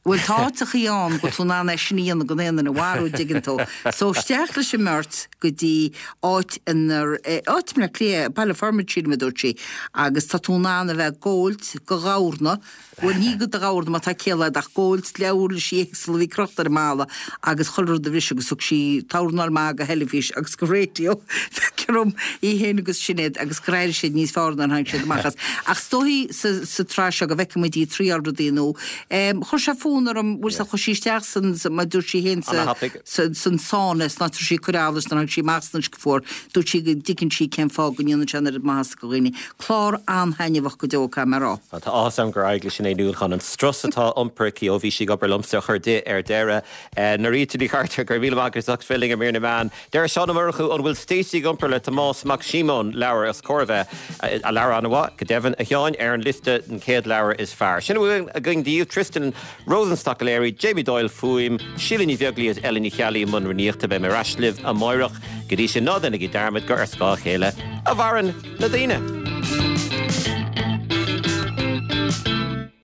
Bhuel, tá áiteachaí ann go bhfuil tú in ann é sin a dhéanamh gan aon duine a mharú, an dtuigeann tú. So, isteach leis an mbeirt go dtí áit inar, áit i mBleá Cliath, Baile Formaid, sílim a dúirt sí, agus tá tú in ann a bheith ag góilt do ghamhna, bhuel, ní do ghamhna má tá ciall agat, ach góilt le uirlisí éagsúla a bhí crochta ar an mballa agus chuile rud a bhriseadh agus thug sí tornáil maith go theilifís agus go raidió, feictear dom, í féin agus Sinéad agus gur éirigh siad níos fearr nuair a tháinig siad amach as. Ach is dóichí sa, sa tsraith seo go bhfeicfidh muid í ag triáil rudaí nua. Chuir sé fonn orm, bhfuil 's agat, chuaigh sí isteach san, mar a dúirt sí féin, sa, san sauna, san áit a raibh sí ag cur allais nuair a tháinig sí amach san uisce fuar, dúirt sí go dtuigeann sí cén fáth go ndéanann sé an oiread maitheasa go dhaoine. Clár an-thaitneamhach go deo, caithfidh mé a rá. Tá áthas orm gur éirigh le Sinéad Ní Uallacháin an strus atá iompair aici ó bhí sí ag obair liomsa a chur di ar deireadh. Norita Ní Chartúir, go raibh míle maith agat as ucht bheith linn ar Mír na Meán. Deir Seán Ó Murchú, an bhfuil Stacey ag iompar le Tomás Mac Síomóin, leabhar is cóir a bheith, leabhar an-mhaith, go deimhin, a Sheáin, ar an liosta den chéad leabhar is fearr. Sin a bhfuil againn daoibh, Tristan Rosenstock-O'Leary, Jamie Doyle, fuaim, Síle Ní Bheaglaoí agus Ellen Ní Cheallaigh i mbun rúnaíochta. Beidh mé ar ais libh amáireach. Go dtí sin, ná déanaigí dearmad gur ar scáth a chéile a mhaireann na daoine.